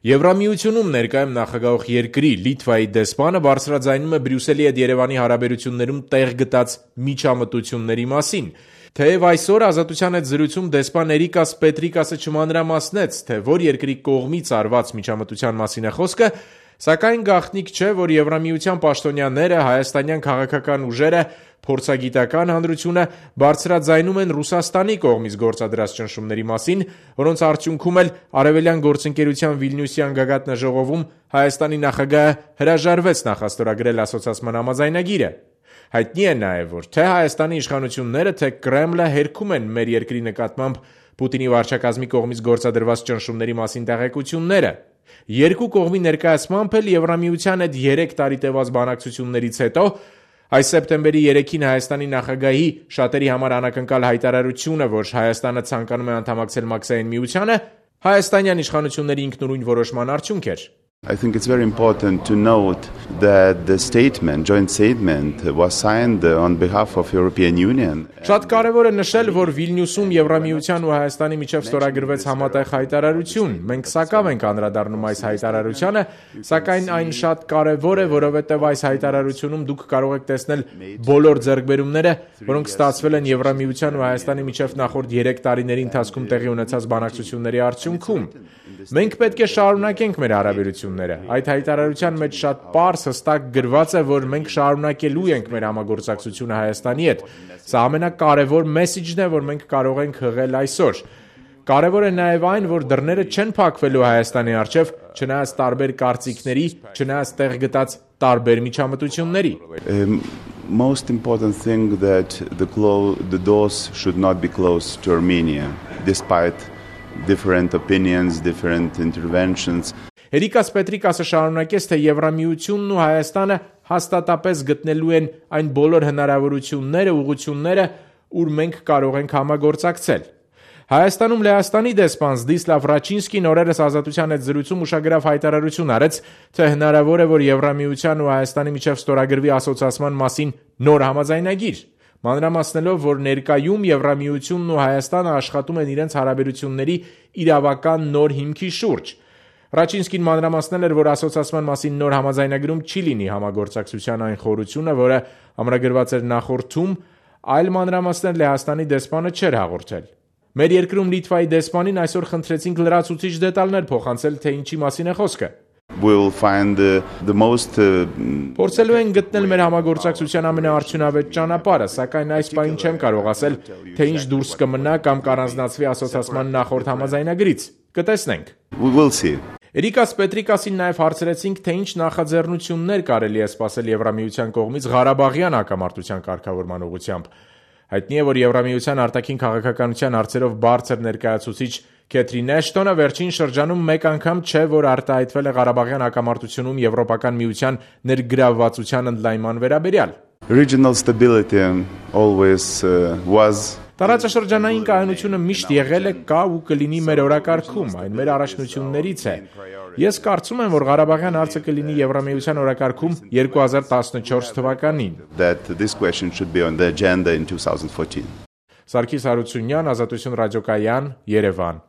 Եվրամիությունում ներկայում նախագահող երկրի Լիտվայի դեսպանը բարձրաձայնում է Բրյուսելի հետ Երևանի հարաբերություններում տեղ գտած միջամտությունների մասին։ Թեև այսօր Ազատության հետ զրույցում դեսպան Էրիկաս Պետրիկասը չմանրամասնեց, թե որ երկրի կողմից արված միջամտության մասին է խոսքը, սակայն գաղտնիք չէ, որ Եվրամիության պաշտոնյաները, հայաստանյան քաղաքական ուժերը, փորձագիտական հանրությունը բարձրաձայնում են Ռուսաստանի կողմից գործադրած ճնշումների մասին, որոնց արդյունքում էլ Արևելյան գործընկերության Վիլնյուսյան գագաթնաժողովում Հայաստանի նախագահը հրաժարվեց նախաստորագրել ասոցիացման համաձայնագիրը։ Հայտնի է նաև, որ թե Հայաստանի իշխանությունները, թե Կրեմլը հերքում են մեր երկրի նկատմամբ Պուտինի վարչակազմի կողմից գործադրված ճնշումների մասին տեղեկությունները։ Երկու կողմի ներկայացմամբ էլ Եվրամիության հետ 3 տարի տևած բանակցություններից հետո այս սեպտեմբերի 3-ին Հայաստանի նախագահի շատերի համար անակնկալ հայտարարությունը, որ Հայաստանը ցանկանում է անդամակցել Մաքսային միությանը, հայաստանյան իշխանությունների ինքնուրույն որոշման արդյունք էր։ I think it's very important to note that the joint statement was signed on behalf of European Union. Շատ կարևոր է նշել, որ Վիլնյուսում Եվրամիության ու Հայաստանի միջև ստորագրվեց համատեղ հայտարարություն։ Մենք սակավ ենք անդրադառնում այս հայտարարությանը, սակայն այն շատ կարևոր է, որովհետև այս հայտարարությունում դուք կարող եք տեսնել բոլոր ձեռքբերումները, որոնք ստացվել են Եվրամիության ու Հայաստանի միջև նախորդ 3 տարիների ընթացքում տեղի ունեցած բանակցությունների արդյունքում։ Մենք պետք է շարունակենք մեր հարաբերությունները։ Այդ հայտարարության մեջ շատ պարզ հստակ գրված է, որ մենք շարունակելու ենք մեր համագործակցությունը Հայաստանի հետ։ Սա ամենակարևոր մեսիջն է, որ մենք կարող ենք հղել այսօր։ Կարևոր է նաև այն, որ դռները չեն փակվելու Հայաստանի առջև, չնայած տարբեր կարծիքների, չնայած տեղ գտած տարբեր միջամտությունների։ Most important thing that the doors should not be closed to Armenia, despite different opinions, different interventions. Էրիկաս Պետրիկասը շարունակեց, թե Եվրամիությունն ու Հայաստանը հաստատապես գտնելու են այն բոլոր հնարավորությունները, ուղղությունները, ուր մենք կարող ենք համագործակցել։ Հայաստանում Լեհաստանի դեսպան Զդիսլավ Ռաչինսկին օրերս Ազատության հետ զրույցում ուշագրավ հայտարարություն արեց, թե հնարավոր է, որ Եվրամիության ու Հայաստանի միջև ստորագրվի ասոցիացման մասին նոր համաձայնագիր, մանրամասնելով, որ ներկայում Եվրամիությունն ու Հայաստանը աշխատում են իրենց հարաբերությունների իրավական նոր հիմքի շուրջ։ Ռաչինսկին մանրամասնել էր, որ ասոցիացման մասին նոր համաձայնագրում չի լինի համագործակցության այն խորությունը, որը ամրագրված էր նախորդում, այլ մանրամասնել Լեհաստանի դեսպանը չէր հաղորդել։ Մեր երկրում Լիտվայի դեսպանին այսօր խնդրեցինք լրացուցիչ դետալներ փոխանցել, թե ինչի մասին է խոսքը։ Փորձելու ենք գտնել մեր համագործակցության ամենաարդյունավետ ճանապարհը, սակայն այս պահին չեմ կարող ասել, թե ինչ դուրս կմնա կամ կառանձնացվի ասոցիացման նախորդ համաձայնագրից։ Կտեսնենք։ Էրիկաս Պետրիկասին նաև հարցրեցինք, թե ինչ նախաձեռնություններ կարելի է սպասել Եվրամիության կողմից Ղարաբաղյան հակամարտության կարգավորման ուղղությամբ։ Հայտնի է, որ Եվրամիության արտաքին քաղաքականության հարցերով բարձր ներկայացուցիչ Քեթրին Էշտոնը վերջին շրջանում մեկ անգամ չէ, որ արտահայտվել է Ղարաբաղյան հակամարտությունում Եվրոպական միության ներգրավվածության ընդլայնման վերաբերյալ։ Regional stability always was. Տարածաշրջանային կայունությունը միշտ եղել է, կա ու կլինի մեր օրակարգում, այն մեր առաջնություններից է։ Ես կարծում եմ, որ Ղարաբաղյան հարցը կլինի Եվրամիության օրակարգում 2014 թվականին։ This question should be on the agenda in 2014. Սարգիս Հարությունյան, Ազատություն ռադիոկայան, Երևան։